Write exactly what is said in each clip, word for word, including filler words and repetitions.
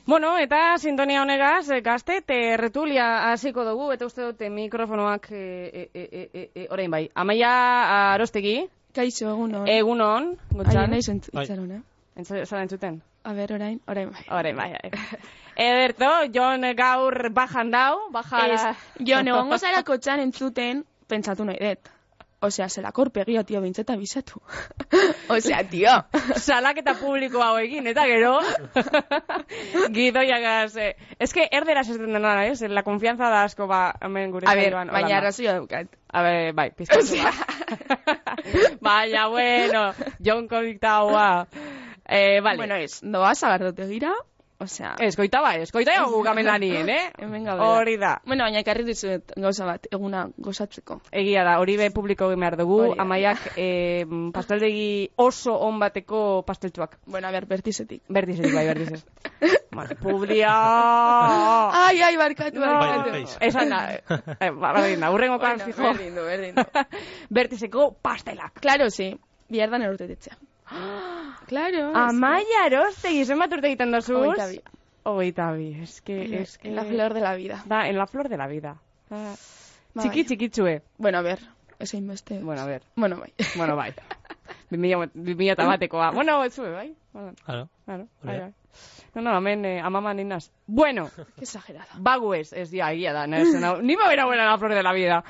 Bueno, eta sintonia honegaz, gazte, tertulia hasiko dugu, eta uste dute mikrofonoak, e, e, e, e, e, orain bai. Amaia Arostegi. Kaixo, egunon. Egunon, Gontzal. Aien naiz entzaron, eh? Zara entzuten? A ber, orain, orain bai. Orain bai. Ederto, Jon gaur bajan dau, baja... Ez, Jon, egongo zara kotxan entzuten, pentsatu nahi dut. Osea, zelako orpegia, tio, bintzeta bizatu. Osea, tio. Salaketa publiko hau egin, eta gero... Gidoiagaz... Eh. Ez que erderaz ez den dena, ez? La confianza da asko, ba, hemen gure... A ber, baina arrazoia daukat. A ber, bai, pizkatu, ba. Baina, bueno, Jon kondiktau, Eh, vale. Bueno, ez, doa zagardote gira, osea... Eskoita ba, eskoita egu gamenanien, eh? Hemen gaude. Hori da. Bueno, baina ekarri dizuet gauza bat, eguna gozatzeko. Egia da, hori be publiko egin behar dugu, Amaiak eh, pasteldegi oso on bateko pasteltsuak. Bueno, a ber, bertizetik. Bertizetik, bai, bertizetik. Bueno, publia... Ai, ai, barkatu, barkatu. No, esan da, eh, berdin da, urrengokan bueno, fijo. Berdin du, berdin du. Bertizeko pastelak. Claro, sí, bihardan erurtetetzea. Claro. Amaia Arostegi, zenbat urte egiten dozuz? Ogeita bi. Ogeita bi, es que... Es que... En la flor de la vida. Da, en la flor de la vida. Ah. Txiki, txikitsue. Bueno, a ver, ezein beste. Bueno, a ver. Bueno, bai. Bueno, bai. Bimila tabatekoa. Bueno, etzue, bai? Claro. Claro, bai, bai. No, no, hemen eh, amaman ninaz. Bueno. Qué exagerada. Baguez, ez dia, egia da. Ni ma bera buena la flor de la vida.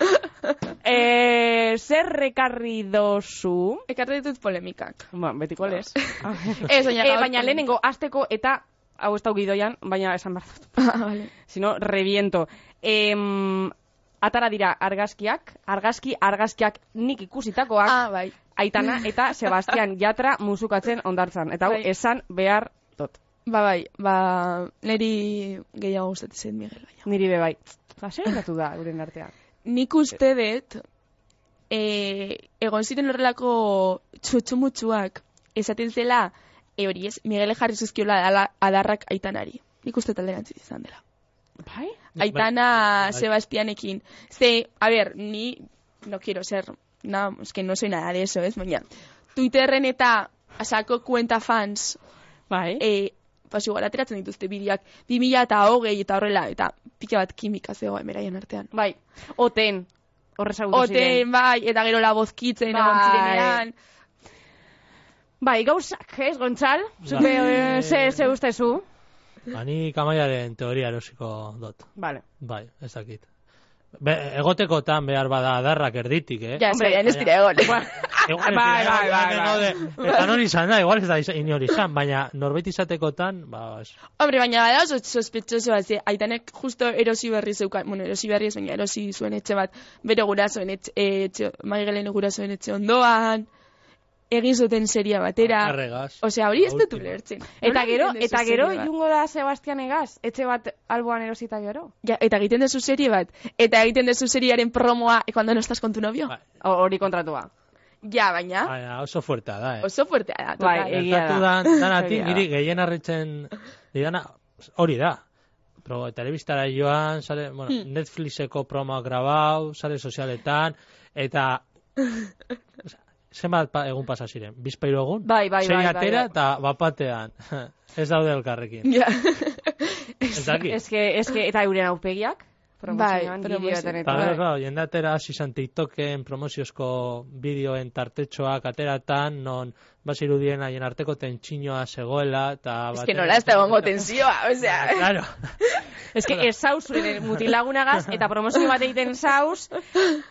Eh, zer rekarri dozu? Ekarri ditut polemikak. Ba, betiko lez. Ez, baina eh, baina lehenengo, azteko eta, hau ez dau gidoian, baina esan behar dut. Ah, vale. Si no, reviento. Eh, atara dira argazkiak, argazki, argazkiak nik ikusitakoak, ah, bai. Aitana eta Sebastian Yatra musukatzen ondartzan. Eta hau, bai. esan behar dut. Ba, bai, ba, niri gehiago gustatzen Miguel, baina. Niri be bai. Ba, zer gertatu da, euren artean? Nik uste dut, e, egon ziren horrelako txutxumutxuak, esaten zela, e hori ez, Miguel jarri zuzkiola adarrak Aitanari. Nik uste talderantziz izan dela. Bai? Aitana bai. Sebastianekin. Ze, a ber, ni, no quiero ser, no, es que no soy nada de eso, ez, baina, Twitterren eta asako kuenta fans, bai, e, pas igual ateratzen dituzte bideak, bi mila eta hogei eta horrela, eta pika bat kimika zegoen beraien artean. Bai, oten, horrez agutu ziren. Oten, bai, eta gero la bozkitzen, bai. egon zirenean. Bai, gauzak, ez, Gontzal? Zupe, Bai. ze, ze ustezu? Ani Amaiaren teoria erosiko dut. Vale. Bai, ez dakit. Be, egotekotan behar bada adarrak erditik, eh? Ja, ez ez dira egon. Igual Bai, bai, bai, Eta nori izan da, igual ez da inori izan, baina norbait izatekotan, ba, ez. Hombre, baina bada oso sospetxoso bat, ze, Aitanek justo erosi berri zeukan, bueno, erosi berri ez, baina erosi zuen etxe bat, bere gurasoen etxe, etxe Maigelen gurasoen etxe ondoan, egin zuten seria batera. Erregaz. Osea, hori ez dut ulertzen. Eta gero, eta gero, jungo da Sebastian egaz, etxe bat alboan erosita gero. Ja, eta egiten dezu serie bat, eta egiten dezu seriaren promoa, e, cuando no estás con tu novio. Bai. Hori kontratua. Ja, baina, Baina oso fuertea da, eh? oso fuertea da, Bai, total. egia da. Gertatu dan, danatik, Egia da. niri gehien harritzen didana, hori da. Pro, telebistara joan, sare, bueno, Hmm. Netflixeko promoak grabau, sare sozialetan, eta... Zenbat pa, egun pasa ziren? Bizpairu egun? Bai, bai, Sei bai, bai, atera bai. eta bapatean. Ez daude elkarrekin. Ja. Ez dakit. Ez que, ez que, eta euren aurpegiak? Promozioan, Bai, bideoetan Eta eta. gero, claro, jendatera hasi izan TikToken promoziozko bideoen tartetxoak ateratan, non bazirudien haien arteko tentsinoa zegoela, eta... Ez que nola ez da egongo tensioa, osea. Claro. Ez que ez zauz zuen mutilagunagaz, eta promozio bat egiten zauz,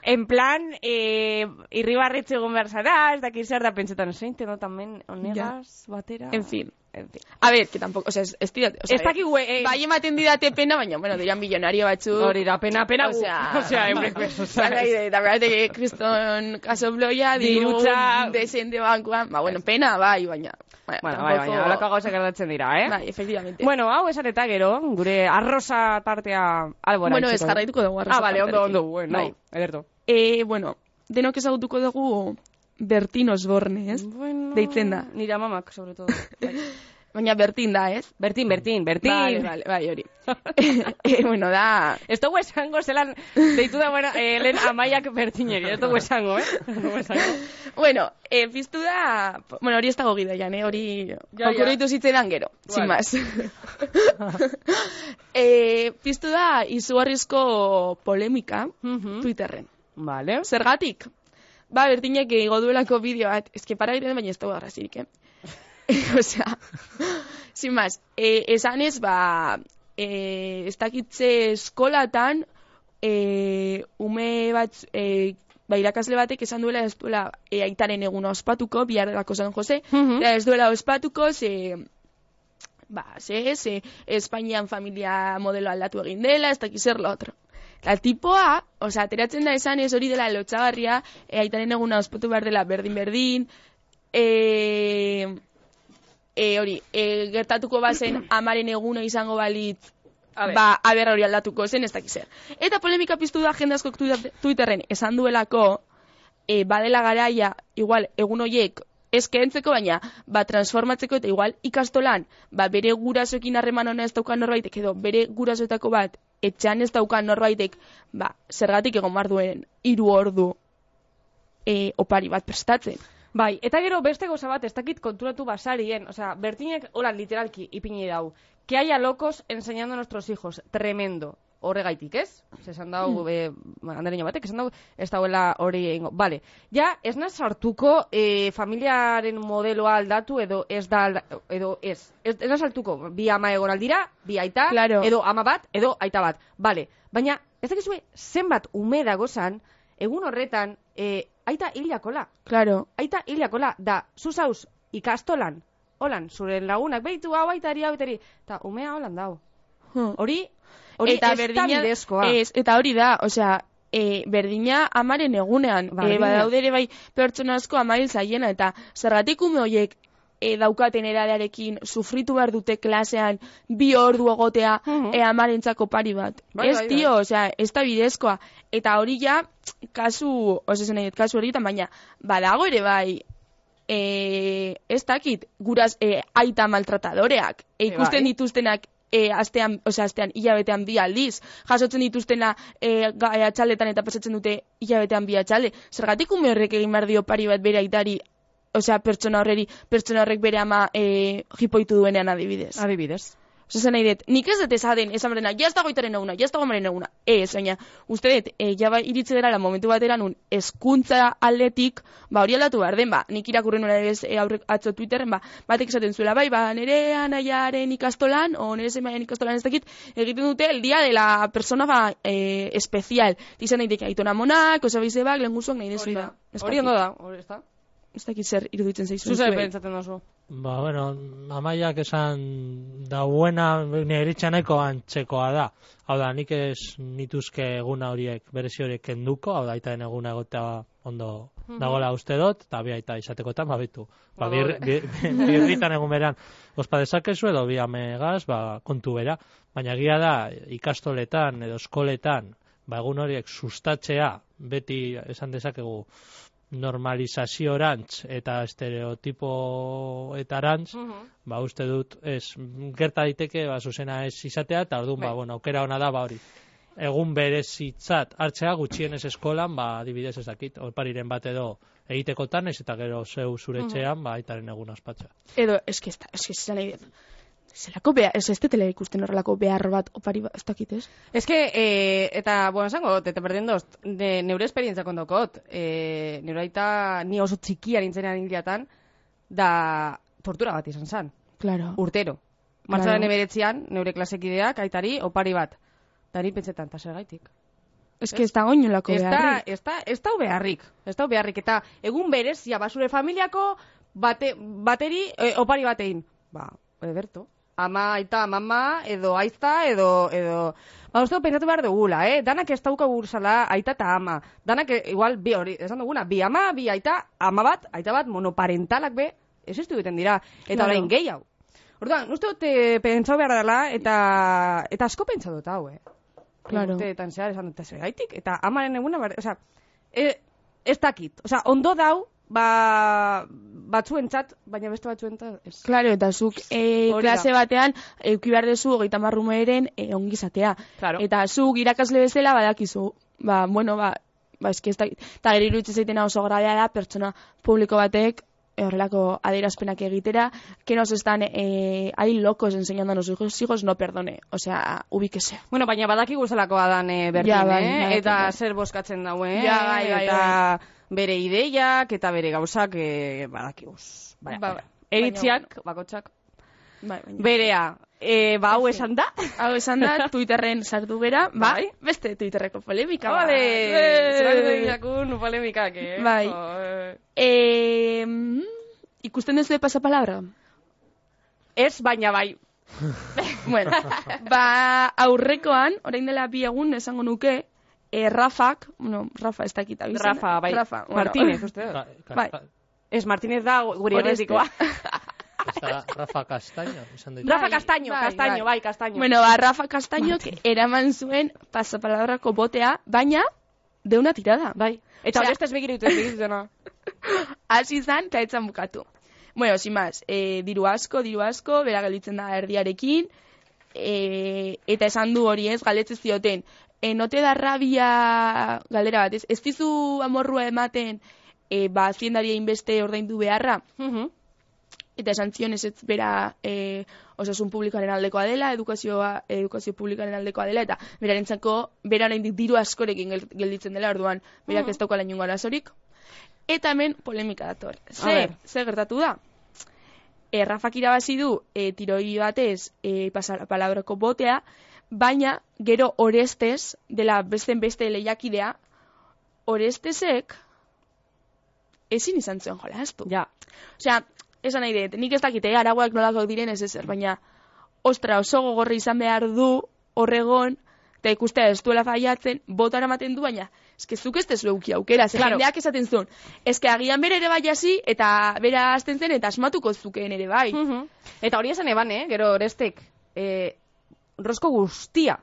en plan, eh, irribarritze egon behar zara, ez dakit zer da pentsetan, zein, teno tamen, onegaz, batera... En fin. En fin. A ver, que tampoco, o sea, ez didate, o sea, Ez dakit gue... Eh, bai ematen didate pena, baina, bueno, diran millonario batzuk. hori da, pena, pena, O sea, o sea, hemen, o sea, eta berate que kriston kaso bloia, diru, Dirutza- desende bankuan, ba, bueno, pena, bai, baina. Bueno, bai, baina, holako gauzak gertatzen dira, eh? Bai, efectivamente. Bueno, hau esan eta gero, gure arroza tartea albora. Bueno, ez itxiko. jarraituko dugu arroza Ah, vale, ondo, tartearekin. ondo, bueno, Bai. ederto. Eh, bueno, denok ezagutuko dugu Bertin Osborne, ez? Bueno, Deitzen da. Nire amamak, sobre todo. Bai. Baina Bertin da, ez? Bertin, Bertin, Bertin. Vale, vale, bai, hori. e, bueno, da... Ez dugu esango, zelan, deitu da, bueno, eh, lehen Amaiak Bertineri, ez dugu esango, eh? Ez dugu esango. Bueno, eh, piztu da... Bueno, hori ez dago gidoian, eh? Hori ja, okurritu zitzaidan gero, vale. sin más. eh, piztu da izugarrizko polemika Uh-huh. Twitterren. Vale. Zergatik? Ba, Bertinek igo duelako bideo bat, eske para diren baina ez dago arrazirik, eh? Osea, sin más, eh, esanez, ba, eh, ez dakitze eskolatan, eh, ume bat, eh, ba, irakasle batek esan duela ez duela eh, aitaren eguna ospatuko, bihar delako San Jose, Uh-huh. ez duela ospatuko, ze, ba, ze, ze, Espainian familia modelo aldatu egin dela, ez dakiz zer lo otro. Eta tipoa, osea, ateratzen da esan ez hori dela lotxagarria, e, aitaren eguna ospatu behar dela berdin-berdin, e, e, hori, e, gertatuko bazen amaren eguna izango balitz, A ba, aber hori aldatuko zen, ez dakiz zer. Eta polemika piztu da jende askok Twitterren esan duelako, e, badela garaia, igual, egun horiek, ez kentzeko, baina, ba, transformatzeko eta igual ikastolan, ba, bere gurasoekin harreman ona ez daukan norbaitek, edo bere gurasoetako bat, etxean ez daukan norbaitek, ba, zergatik egon behar duen hiru ordu e, opari bat prestatzen. Bai, eta gero beste gauza bat, ez dakit konturatu basarien, osea, Bertinek, hola, literalki, ipini dau, que haya locos enseñando a nuestros hijos, tremendo. Horregaitik, ez? Esan dago, mm. eh, andereño batek, esan dago, ez dagoela hori egingo. Vale, ja, ez naz sartuko eh, familiaren modeloa aldatu edo ez da, alda, edo ez. Ez, ez naz sartuko, bi ama egon aldira, bi aita, claro. Edo ama bat, edo aita bat. Vale, baina, ez dakizue, zenbat ume dagozan, egun horretan, eh, aita hilakola. Claro. Aita hilakola, da, zuzauz, ikastolan, holan, zure lagunak, behitu, hau aitari, hau aitari, eta umea holan dau. Hmm. Hori, hori eta ez berdina, da bidezkoa. Ez, eta hori da, osea, e, berdina amaren egunean, e, badaude ere bai pertsona asko amail zaiena, eta zergatik ume horiek e, daukaten eradearekin sufritu behar dute klasean bi ordu egotea uh-huh. e, amarentzako pari bat. Bai, ez, bai, tio, bai. osea, ez da bidezkoa. Eta hori ja, kasu, osezen nahi, kasu horietan, baina badago ere bai, e, ez dakit, guraz e, aita maltratadoreak, e, ikusten bai. dituztenak E, astean, osea, astean, hilabetean bi aldiz, jasotzen dituztena e, atxaldetan eta pasatzen dute hilabetean bi atxalde. Zergatik ume horrek egin behar dio pari bat bere aitari, osea, pertsona horreri, pertsona horrek bere ama e, jipoitu duenean adibidez. Adibidez. Osa zen nahi dut, nik ez dut esaten, esan berena, jazta goitaren eguna, jazta gomaren eguna. Ez, baina, uste dut, e, jaba iritze dela momentu batera nun, eskuntza aldetik, ba, hori aldatu behar den, ba, nik irakurren nuna ez e, aurrek atzo Twitterren, ba, batek esaten zuela, bai, ba, nire anaiaren ikastolan, o nire zemaiaren ikastolan ez dakit, egiten dute el dia de la persona, ba, e, especial. Dizan nahi dek, aitona monak, osabizebak, lenguzuak nahi desuna. Hori ondo da, hori ez da. Ez dakit zer iruditzen zaizu. Zuzer pentsatzen dozu. Ba, bueno, Amaiak esan dauena nire iritxaneko antzekoa da. Hau da, nik ez nituzke eguna horiek, berezi horiek kenduko, hau da, aitaren eguna egotea ondo mm-hmm. dagoela uste dot, eta bi aita izatekotan, babitu. Ba, birritan egun beran, ospa dezakezu edo bi amegaz, ba, kontu bera. Baina egia da, ikastoletan edo eskoletan, ba, egun horiek sustatzea, beti esan dezakegu, normalizaziorantz eta estereotipoetarantz, uh-huh. ba, uste dut, ez, gerta daiteke, ba, zuzena ez izatea, eta orduan, ba, bueno, aukera ona da, ba, hori, egun berezitzat hartzea gutxienez eskolan, ba, adibidez ez dakit, opariren bat edo egitekotan, ez eta gero zeu zuretxean, uh-huh. ba, aitaren egun ospatzea. Edo, eski ez da, eski ez da nahi dut. Zelako behar, ez ez tetela ikusten horrelako behar bat opari bat, ez dakit, ez? Ez que, eh, eta, bueno, esango dut, eta berdin dozt, de, neure esperientzia kondokot, eh, neure aita ni oso txikia nintzenean hiliatan, da tortura bat izan zan. Claro. Urtero. Martzaren claro. Eberetzian, neure klasekideak, aitari, opari bat. Da ni pentsetan, eta zer gaitik. Ez que ez da goinolako beharrik. Ez da, ez da beharrik. Ez da beharrik, eta egun berezia, basure familiako, bate, bateri, eh, opari batein. Ba, eberto. Ama, aita, mama, edo aizta, edo, edo... Ba, uste pentsatu behar dugula, eh? Danak ez dauka gurzala aita eta ama. Danak, igual, bi hori, esan duguna, bi ama, bi aita, ama bat, aita bat, monoparentalak be, ez ez egiten dira. Eta orain claro. Gehi hau. Orduan, uste dut pentsau behar dela, eta, eta asko pentsau dut hau, eh? Claro. Urteetan zehar, esan dut, ez gaitik, eta amaren eguna, bar, oza, e, ez dakit. Oza, ondo dau, ba, batzuentzat, baina beste batzuentzat ez. Claro, eta zuk e, klase batean euki behar dezu hogeita hamar umeren e, ongizatea. Claro. Eta zuk irakasle bezala badakizu. Ba, bueno, ba, ba eski ez da, eta gero iruditzen zaitena oso grabea da pertsona publiko batek horrelako adierazpenak egitera, que nos están eh, ahí locos enseñando a nuestros hijos, no perdone, o sea, ubíquese. Bueno, baina badakigu zelakoa dan eh, berdin, ja, bai, eh? bai, eta bai. zer boskatzen dauen, Ja, bai, bai, eta bere ideiak, eta bere gauzak eh, badakiguz. Baina, Ba, baina. Eritziak, bakotxak, Bai, baina. berea, eh, ba, hau esan da? Hau esan da, Twitterren sartu gera, ba, Bai. beste Twitterreko polemika. Vale, bat. zelan jakun polemikak, eh? Bai. Jo, eh. Eh, ikusten duzu de pasapalabra? Ez, baina bai. Bueno, ba, aurrekoan, orain dela bi egun esango nuke, eh, Rafak, bueno, Rafa ez dakit abizena. Rafa, bai. Rafa, bueno. Martínez, uste dut. Ka- ka- Bai. ka- Ez, Martínez da guri Oreste. horretikoa. Ez da Rafa Castaño, izan ditu. Rafa Bai, Castaño, bai, Castaño, bai. bai, Castaño. Bueno, ba, Rafa Castañok eraman zuen pasapalabrako botea, baina de una tirada. Bai. Eta Osea- hori ez begiritu, ez begirutena. Hasi izan, eta etzan bukatu. Bueno, sin más, eh, diru asko, diru asko, bera gelditzen da erdiarekin, eh, eta esan du hori ez, galdetze zioten, eh, no te da rabia galdera bat, ez, ez dizu amorrua ematen, eh, ba, haziendaria inbeste ordaindu beharra, Mhm. eta esan zion ez ez bera eh, osasun publikoaren aldekoa dela, edukazioa, edukazio publikoaren aldekoa dela, eta berarentzako, bera oraindik diru askorekin gel- gelditzen dela, orduan, berak Mhm. ez daukala inongo arazorik. Eta hemen polemika dator. A Ze, ber. ze gertatu da? E, Rafak irabazi du e, tiroi batez e, pasapalabrako botea, baina gero Orestez, dela besten beste lehiakidea, Orestezek ezin izan zen jolastu. Ja. Osea, esan nahi dut, nik ez dakite, arauak nolako diren ez ezer, baina, ostra, oso gogorri izan behar du, horregon, eta ikustea ez duela faiatzen, botara ematen du, baina, eske zuk ez tezu euki aukera, ze Claro. jendeak esaten zuen, eske agian bere ere bai hasi, eta bera hasten zen, eta asmatuko zukeen ere bai. Mhm. Eta hori esan eban, eh? Gero Orestek, eh, rosko guztia,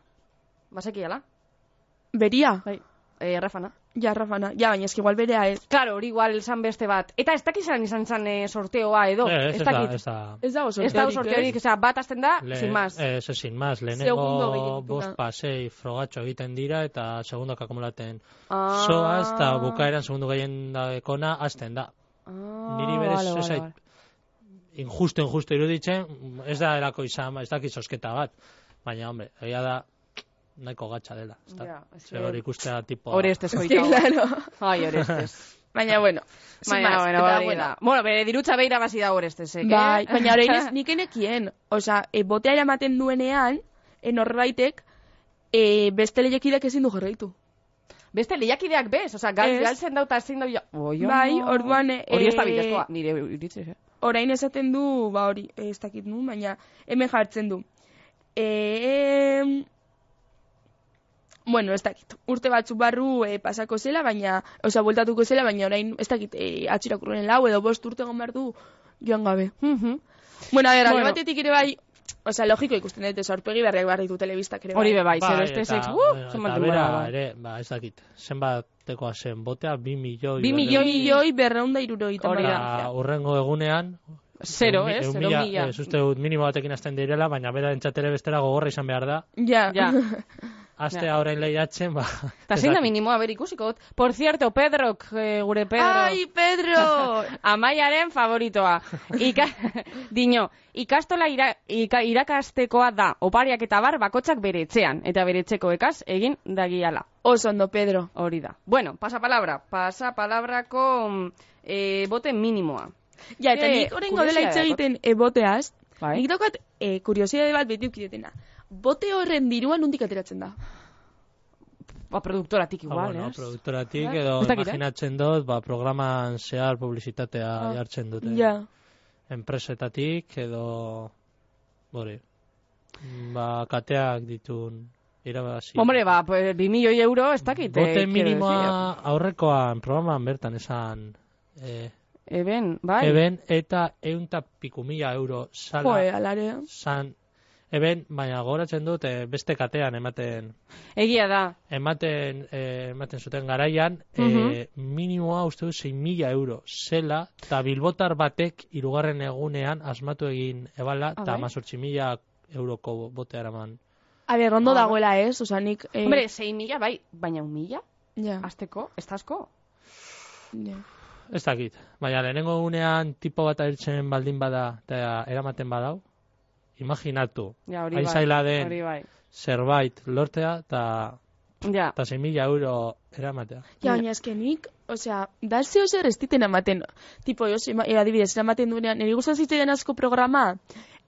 basekiala, Beria, bai, eh, Rafana. ja, Rafana, ja, baina eski igual berea ez. Claro, hori igual esan beste bat. Eta ez dakizan izan zan eh, sorteoa edo, Eh, Ez ez ez da, dakit. ez da. Ez dago Ez dago sorteorik, sorteorik, osea, bat azten da, Le- sin más. Ez, ez, sin más. Segundo Lehenengo gehienetuta. bost pasei frogatxo egiten dira, eta segundak akumulaten Ah. soaz, eta bukaeran segundu gehien dakona, azten da. Ah, Niri berez, vale, ez vale, zait, vale. injusto, injusto iruditzen, ez da erako izan, ez dakit sosketa bat. Baina, hombre, egia da, nahiko gatsa dela. Ez da? Ja, ez Ze que- hori ikustea tipo... Orestez Sí, koitau. claro. Ai, Orestez. Baina, bueno, sin Baina, más, bueno, eta, hori bueno, da. Bueno, bere dirutza beira bazi da Orestezek, eh? bai, baina orain ez nik enekien. Osea, e, botea eramaten duenean, e, norbaitek, e, beste lehiakideak ezin du jarraitu. Beste lehiakideak bez, osea, gal, Ez. galtzen dauta ezin dau... Oi, Bai, ama. orduan, eh, Hori ez da bidezkoa, nire iritzez, eh? Orain esaten du, ba hori, eh, ez dakit nu, baina hemen jartzen du. E, bueno, ez dakit, urte batzuk barru e, pasako zela, baina, osea, bueltatuko zela, baina orain, ez dakit, e, atxirakurren lau edo bost urte egon behar du joan gabe. Mhm. Bueno, a ver, alde Bueno. batetik ere bai, osea, logiko ikusten dut, ez aurpegi berriak behar ditu telebistak ere bai. Hori be bai, Bai, zer Orestezek, eta- uh, eta zenbat bera denbora da. ere, ba, ez dakit, zenbatekoa zen botea, bi milioi... Bi berrehun- milioi- milioi berreunda irurogeita Hori da. Eta urrengo egunean... Zero, ehun mi- eh? ehun Zero mila- mila. Ez uste dut minimo batekin hasten direla, baina bera entzatere bestera gogorra izan behar da. Ja. Ja. Astea orain lehiatzen, ba... Eta ez zein da dakit. minimoa, ber ikusiko dut. Por cierto, Pedrok, eh, gure Pedro... Ai, Pedro! Amaiaren favoritoa. Ika, dino, ikastola ira, ika, irakastekoa da, opariak eta bar bakotxak bere etxean, eta bere etxeko ekaz egin dagiala. Oso ondo, Pedro. Hori da. Bueno, pasapalabra. Pasapalabrako mm, eh, bote minimoa. Ja, eta Eh, nik oraingo dela hitz kuriositate egiten e, boteaz, Bai. nik daukat e, kuriosidade bat beti ukidetena. Bote horren dirua nondik ateratzen da? Ba, produktoratik Ah, igual, bueno, ez? produktoratik Bai. edo Ez dakit, eh? imaginatzen dut, ba, programan zehar publizitatea Ah. jartzen dute. Ja. Enpresetatik edo... Hori. Ba, kateak ditun irabazi. Hombre, ba, pues, bi milioi euro, ez dakit. Bote eh, quiero minimoa aurrekoan programan bertan esan... Eh, decir. Eben, bai. Eben eta eunta piku mila euro sala Joe, alare. san Eben, baina goratzen dut eh, beste katean ematen Egia da. ematen eh, ematen zuten garaian Mhm. eh, minimoa uste dut sei mila euro zela, eta bilbotar batek hirugarren egunean asmatu egin ebala, Ah, eta bai? hamazortzi mila euroko botea eraman. A ber, ondo Ah. dagoela ez, oza, nik... Eh, Hombre, sei mila, bai, baina un mila? ja, Azteko, ez da asko? ja. Ez dakit, baina lehenengo egunean tipo bat ailtzen baldin bada eta eramaten badau, imaginatu, Ja, hori hain bai. zaila den Hori bai. zerbait lortea eta Ja. eta sei mila euro eramatea. Ja, baina eskenik, osea, da zeo zer ez diten ematen. Tipo, jo, e, adibidez, eramaten duenean, niri gustatzen zitzaidan asko programa,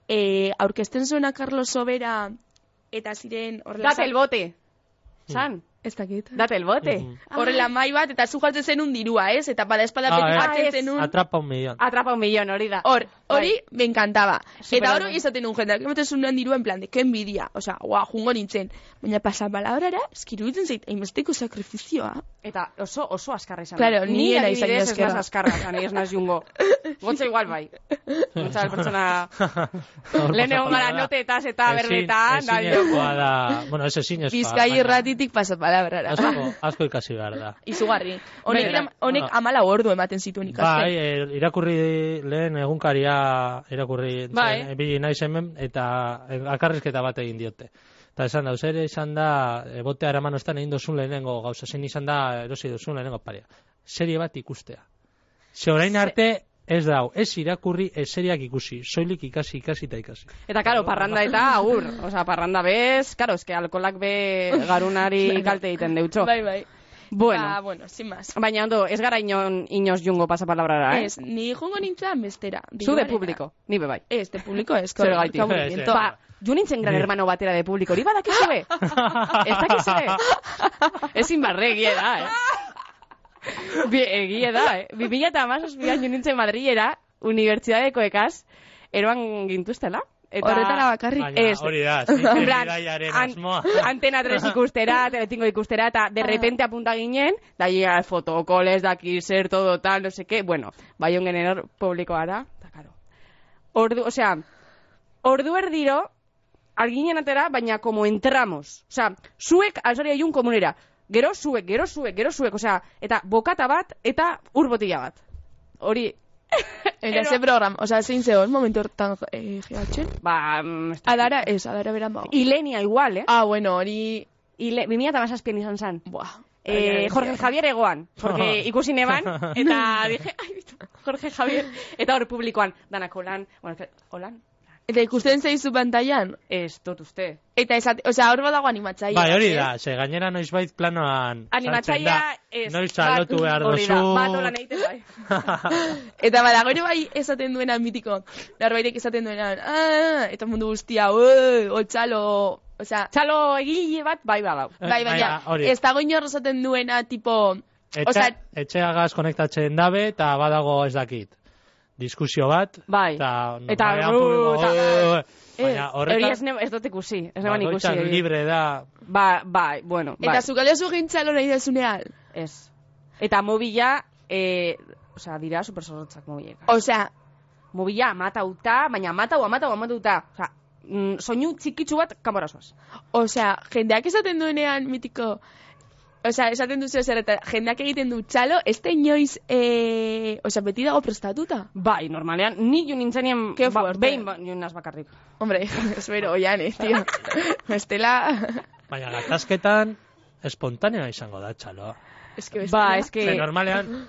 e, aurkezten zuena Carlos Sobera, eta ziren horrela... Date el bote. San, Ez dakit. date el bote. Mhm. Horrela mai bat, eta zu jartzen zenun dirua, ez? Eta bada espada Ah, beti eh. jartzen Ah, ez. zenun... Atrapa un millón. Atrapa un millón, hori da. Hor, hori, Bai. me encantaba. Super Eta hori ondo. izaten un jendeak, ematen zuen dirua en plan de, que envidia. Osea, guau, jungo nintzen. Baina pasa palabrara, eskiruditzen zait, hainbesteko sakrifizioa. Eta oso, oso askarra izan. Claro, da. ni era izan adibidez ez askarra. naz askarra, zan, ez naz jungo. Gotza igual bai. Gotza pertsona... Lehen egon gara notetaz eta berbetan, da dio. Ezinezkoa da, bueno, ez ezinezkoa. Bizkai baina irratitik pasa palabrara. Asko, asko ikasi behar da. Izugarri. Honek, Bai, era- honek bueno. amala ordu ematen zituen ikasten. Bai, eh, irakurri lehen egunkaria irakurri Bai. zen, bi naiz hemen, eta eh, akarrizketa bat egin diote. Eta esan da, zer izan da, e, botea eraman ostan egin dozun lehenengo gauza, zen izan da, erosi dozun lehenengo paria. Serie bat ikustea. Ze orain arte, ez dau, ez irakurri, ez seriak ikusi, soilik ikasi, ikasi eta ikasi. Eta karo, parranda eta agur. Osa, parranda bez, karo, eske alkolak be garunari kalte egiten deutxo. Bai, bai. Bueno, Ba, bueno, sin más. baina ondo, ez gara inon, inoz jungo pasapalabrara, eh? Ez, ni jungo nintzen bestera. Zu de diruarena. publiko, ni be bai. Ez, de publiko ez. Zer gaitik. aburrimiento. Ba, jo nintzen gran Ni. hermano batera de publiko, hori badakizue? Ez dakizue? Ezin barre, egie da, eh? Bi, egie da, eh? Bi mila eta hamazazpian jo nintzen Madrilera, unibertsitateko ekaz, eroan gintuztela. Eta Horretara bakarrik. Baina ez. hori da, En ziken plan, bidaiaren an- asmoa. Antena tres ikustera, telecinco ikustera, eta de repente apunta ginen, da llega fotokoles, daki zer, todo tal, no sé qué, bueno, bai ongen eror publikoara, eta karo. Ordu, o sea, ordu erdiro, alginen atera, baina como entramos. O sea, zuek alzori aiun komunera. Gero zuek, gero zuek, gero zuek, o sea, eta bokata bat, eta ur botila bat. Hori, Eta ze programa, osea, zein zegoen momentu hortan eh, gehatzen? ba... mm, ez dakit. Adara, ez, adara beran bago. Ilenia igual, eh? Ah, bueno, hori... Ile, bi mila eta hamazazpian izan zen. Buah. Eh, Jorge Javier egoan, porque ikusi neban, eta dije, ai, bitu, Jorge Javier, eta hor publikoan, danak holan, bueno, que- holan, Eta ikusten zeizu pantailan? ez dut uste. Eta esate, osea, hor badago animatzaia. Bai, hori ez? da, ze gainera noizbait planoan Animatzaia, sartzen da. ez. Noiz salotu bat- behar hori da, dozu. bat holan egiten bai. Eta badago ere bai esaten duena mitiko. Narbaitek esaten duena, ah, eta mundu guztia, oi, otxalo, osea, Txalo egile bat, bai badau. bai, baina, Baina, hori. ez dago inor esaten duena, tipo, Etxe, osea, etxeagaz konektatzen dabe, eta badago ez dakit. Diskusio bat, Bai. eta Eta, normalean uh, publiko, eta- "Oh, baina Hori horretan, ez, ne- ez dut ikusi, ez neban ikusi. bakoitzak hori. libre da, Ba, bai, bueno, bai, eta zukale zu gintzalo nahi dezunean. ez. Eta mobila, eh, osea, dira supersorrotzak mobilek. Osea, Mobila amatauta, baina amatau, amatau, amatauta. Osea, mm, soinu txikitsu bat kamorazoaz. osea, jendeak esaten duenean mitiko, osea, esaten duzu zer, eta jendeak egiten du txalo, ez da inoiz, eh, osea, beti dago prestatuta. Bai, normalean, ni jo nintzenien Ke ba, fuerte. behin ba, joan naz bakarrik. Hombre, espero, oian, eh, tío. Estela, baina gatazketan espontanea izango da, txaloa. es que Ba, bestela- eske... Ze normalean,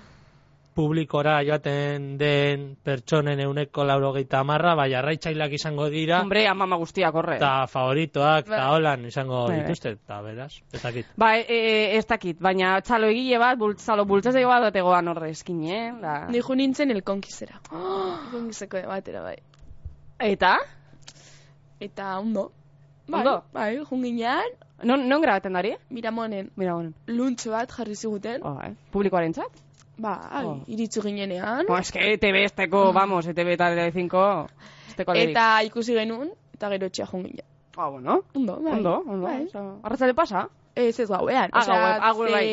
publikora joaten den pertsonen euneko laurogeita hamarra, bai arraitzaileak izango dira, Hombre, amama guztiak horre. eta favoritoak, eta Ba. holan izango Bai, bai. dituzte, eta beraz, ez dakit. Ba, e, e, ez dakit, baina txalo egile bat, bultzalo bultzazeko bat bategoan horre eskin, eh? Da. Ni jo nintzen el konkistera. El konkisteko batera, bai. Eta? Eta ondo. Bai, Ondo? bai, junginean, Non, non grabaten dari? Miramonen Mira, bueno. luntxo bat jarri ziguten. Oh, eh? Publikoaren txat? Bai, Oh. iritsu ginenean. Bo, es que E T B esteko, vamos, E T B eta Telecinco, esteko alerik. Eta ikusi genuen, eta gero etxea junginen. Ah, bueno. Ondo, bai. Ondo, ondo. Bai. Osa, arratzale pasa? Ez ez gauean. Ah, osea, gauean, ah, gure bai.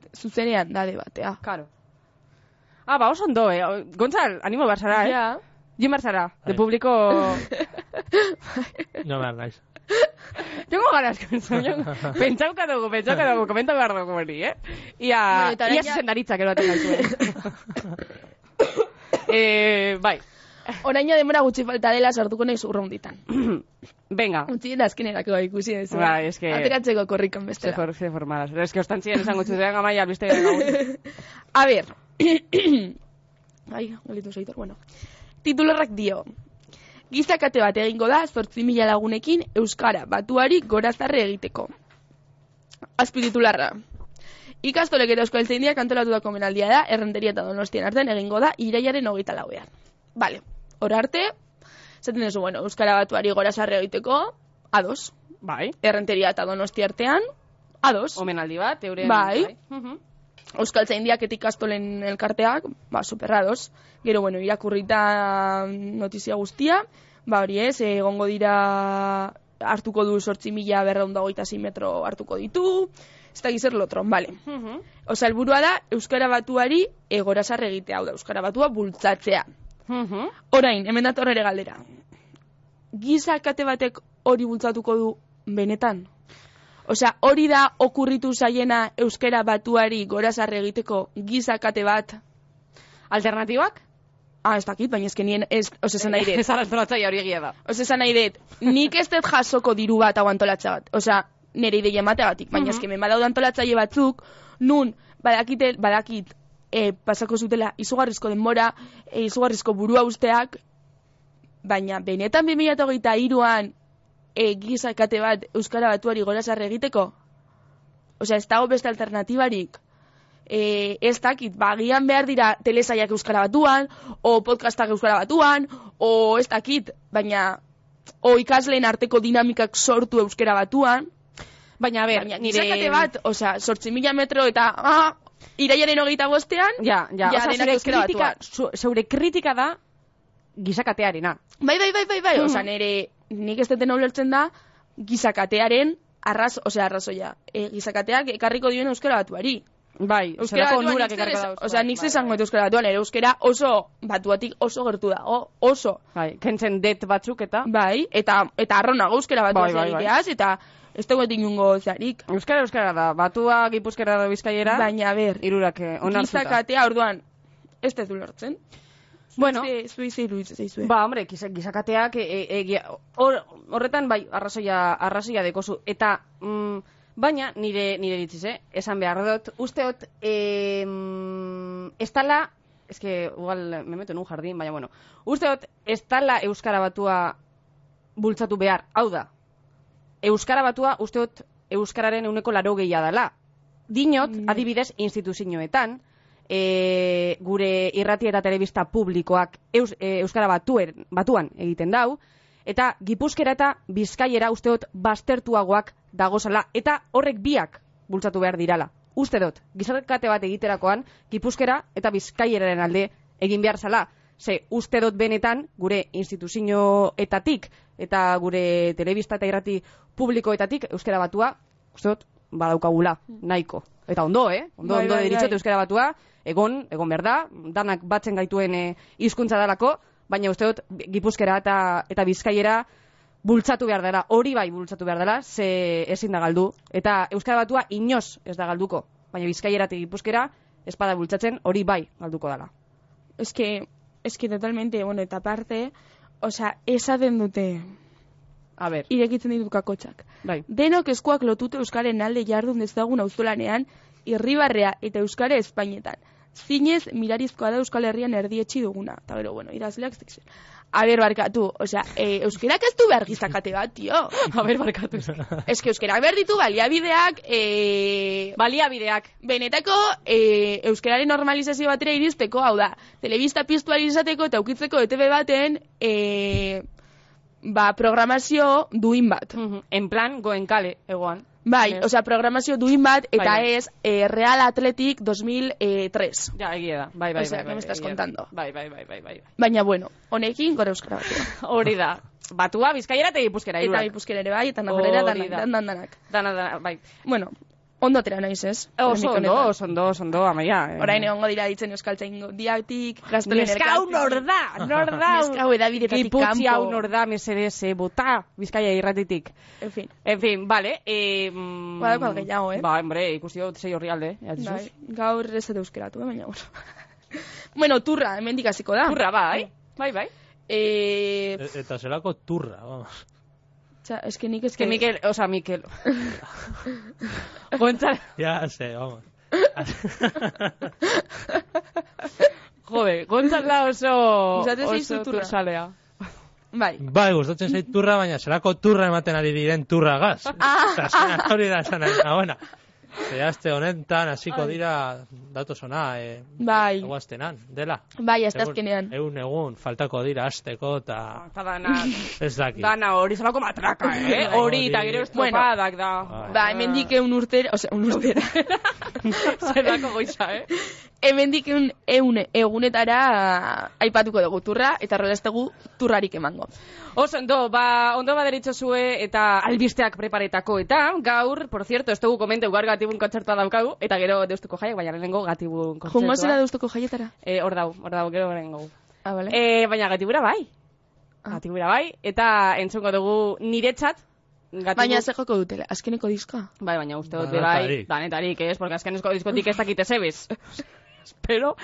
ze- zuzenean da debatea. Karo. Ah, ba, oso ondo, eh? Gontzal, animo behar zara, eh? Ja. Jo behar zara, de Bai. publiko... No behar naiz. Jongo gara eskon, pentsauka dugu, pentsauka dugu, komenta behar dugu hori, eh? Ia, bueno, ia zuzendaritzak eroaten gaituen. eh, bai. Oraina demora gutxi falta dela sartuko nahi zurraunditan. Venga. Utzi eta azkenerako bai ikusi ez. Bai, eske... Ateratzeko korrikan bestela. Se for, se formadas. Es que ostan ziren esango txuzean Amaia, albiste gaur. A ver. Ai, galitu zeitor, bueno. Titularrak dio. Gizakate bat egingo da zortzi mila lagunekin Euskara batuari gorazarre egiteko. Azpititularra. Ikastolek eta Euskaltzaindiak antolatutako menaldia da, Errenteria eta Donostian artean egingo da irailaren hogeita lauean. Vale, hor arte, zaten duzu, bueno, Euskara batuari gorazarre egiteko, ados. Bai. Errenteria eta Donosti artean, ados. Omenaldi bat, euren... Bai. bai. Uh-huh. Euskaltzaindiak eta ikastolen elkarteak, ba, superrados. Gero, bueno, irakurrita notizia guztia, ba, hori ez, egongo dira hartuko du zortzi mila berreunda hogeita sei metro hartuko ditu, ez da gizer lotron, bale. Uh-huh. Osa, helburua da, Euskara batuari egorazarre egitea, hau da, Euskara batua bultzatzea. Uh-huh. Orain, hemen dator ere galdera. Gizakate batek hori bultzatuko du benetan? Osea, hori da okurritu zaiena Euskara batuari gorazarre egiteko gizakate bat? Alternatibak? Ah, ez dakit, baina ezken nien, ez, ose esan nahi dut. Ez araztolatzaia hori egia da. Ose esan nahi dut, nik ez dut jasoko diru bat hau antolatza bat. Osea, nire ideia emateagatik, baina uh-huh. ezken men badaude antolatzaile batzuk, nun, badakit, badakit, e, pasako zutela izugarrizko denbora, e, izugarrizko burua usteak, baina benetan bi mila hogeita hiruan e, gizakate bat Euskara batuari gorazarre egiteko? Osea, ez dago beste alternatibarik. E, ez dakit, bagian behar dira telesaiak Euskara batuan, o podcastak Euskara batuan, o ez dakit, baina o ikasleen arteko dinamikak sortu Euskara batuan. Baina, a ber, baina, nire... gizakate bat, osea, zortzi mila metro eta... Ah, irailaren hogeita bostean, ja, ja, ja, oza, denak Euskara kritika, batuan. Zeure kritika da gizakatearena. Bai, bai, bai, bai, bai, mm. Osea, nire, nik ez deten ulertzen da gizakatearen arraz, osea, arrazoia. E, gizakateak ekarriko dioen Euskara batuari. Bai, Euskara batuan, osea, nik zezango eta Euskara batuan, ere Euskara oso batuatik oso gertu da, o, oso. Bai, kentzen det batzuk eta... Bai, eta, eta arronago Euskara batuaz bai, bai, egiteaz, bai. Eta ez dugu etingungo zarik. Euskara, Euskara da, batua, Gipuzkera da, Bizkaiera... Baina, ber, irurak onartuta. Gizakatea, orduan, ez ez du lortzen. Bueno, zui ze iruditzen zaizue. Ba, hombre, gizakateak horretan, bai, arrazoia, arrazoia dekozu. Eta, mm, baina, nire, nire ditziz, eh? Esan behar dut, usteot, eh, ez tala, ez que, igual, me meto en un jardín, baina, bueno, usteot, ez tala Euskara batua bultzatu behar, hau da, Euskara batua, usteot, Euskararen euneko laro gehiago dela. Dinot, mm. adibidez, instituzioetan, e, gure irrati eta telebista publikoak eus, e, Euskara batuen, batuan egiten dau, eta Gipuzkera eta Bizkaiera usteot baztertuagoak dagozala, eta horrek biak bultzatu behar dirala. Uste dut, gizarkate bat egiterakoan, Gipuzkera eta Bizkaieraren alde egin behar zala. Ze, uste dut benetan, gure instituzioetatik eta gure telebista eta irrati publikoetatik Euskara batua, uste dut, badaukagula, nahiko. Eta ondo, eh? Ondo, bai, ondo bai, deritzot bai. Euskara batua, egon, egon behar da, danak batzen gaituen e, hizkuntza dalako, baina uste dut, Gipuzkera eta, eta Bizkaiera bultzatu behar dela, hori bai bultzatu behar dela, ze ezin da galdu. Eta Euskara batua inoz ez da galduko, baina Bizkaiera eta Gipuzkera ez bada bultzatzen, hori bai galduko dela. Ez que, ez que totalmente, bueno, eta parte, osea, esaten dute... A ber. Irekitzen ditut kakotxak. Bai. Denok eskuak lotute Euskaren alde jardun dezagun auzolanean, Irribarrea eta Euskara Espainetan. Zinez, mirarizkoa da Euskal Herrian erdietxi duguna. Eta gero, bueno, idazleak zikzen. A ber, barkatu, osea, e, euskerak ez du behar gizakate bat, tio. A ber, barkatu. Ez que euskerak behar ditu baliabideak, e... Baliabideak. Benetako, e, euskeraren normalizazio batera iristeko, hau da, telebista piztuari izateko eta ukitzeko E T V baten, e... ba, programazio duin bat. Uh-huh. En plan, goen kale, egoan. Bai, yes. Osea, programazio duin bat, eta bai, ez eh, Real Athletic dos mil tres. Ja, egia da, bai, bai, osea, bai, bai. ¿qué me estás contando? Bai, bai, bai, bai, bai. Baina, bueno, honekin gora euskara batua. Hori da. Batua, Bizkaiera eta Gipuzkera, irurak. Eta Gipuzkera ere bai, eta Navarrera, danak, dan, dan, danak. Dana, dana, bai. Bueno, Ondo atera naiz, ez? Oso ondo, oso ondo, oso ondo, Amaia. Eh. Orain egongo dira ditzen euskaltzain diatik, gaztolen Neska hau nor da, nor da. Neska hau edabidetatik kanpo. Giputzi hau nor da, mesedez, bota, Bizkaia irratitik. En fin. En fin, vale. Eh, mm, Badako gehiago, eh? Ba, hombre, ikusi dut zei horri alde. Bai, gaur ez dut euskeratu, eh, baina bueno. Bueno, turra, hemendik hasiko da. Turra, bai. Bai, bai. Eh... E eta zelako turra, vamos. Txa, eske nik eske... Que Mikel, o sea, Mikel. Gontzal... Ya sé, vamos. Jode, Gontzala oso... Gustatzen zaizu turra. Tursalea. Bai. Bai, gustatzen zait turra, baina zelako turra ematen ari diren turra gaz. Ah! Eta hori da esan ari, buena. Zehazte honetan, hasiko dira, datu zona, e, bai. Eguaztenan, dela. Bai, azte azkenean. Egun, egun, faltako dira asteko, eta... Eta dana... Ez daki. Dana hori zelako matraka, eh? Hori, eta gero estropadak da. Ba, hemendik eun urtera, ose, un urtera. Zerrako goiza, eh? Hemendik eun, eun egunetara aipatuko dugu turra, eta rolestegu turrarik emango. Oso, ondo, ba, ondo baderitxosue eta albisteak preparetako, eta gaur, por cierto, ez dugu komente ugar gatibun kontzertua daukagu, eta gero deustuko jaiak, baina lehenengo gatibun kontzertua. Jungo zera deustuko jaietara? Eh, hor dau, hor dau, gero lehenengo. Ah, vale. Eh, baina gatibura bai. Ah. Gatibura bai, eta entzungo dugu niretzat. Gatibu... Baina ze joko dutela, azkeneko diskoa? Bai, baina uste dut bai, danetarik, ez, porque azkeneko diskotik ez dakite zebez. Espero,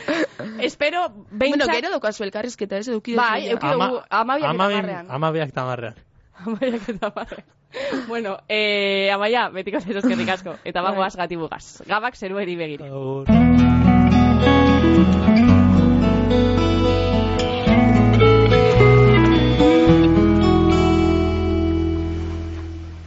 espero, behintzat... Bueno, gero daukazu elkarrizketa, ez eduki bai, eduki dugu, amabiak eta marrean. Amabiak eta marrean. Amabiak eta marrean. Bueno, eh, Amaia, betiko zerozkerrik asko. Eta bagoaz gatibugaz. Gabak zerueri begire.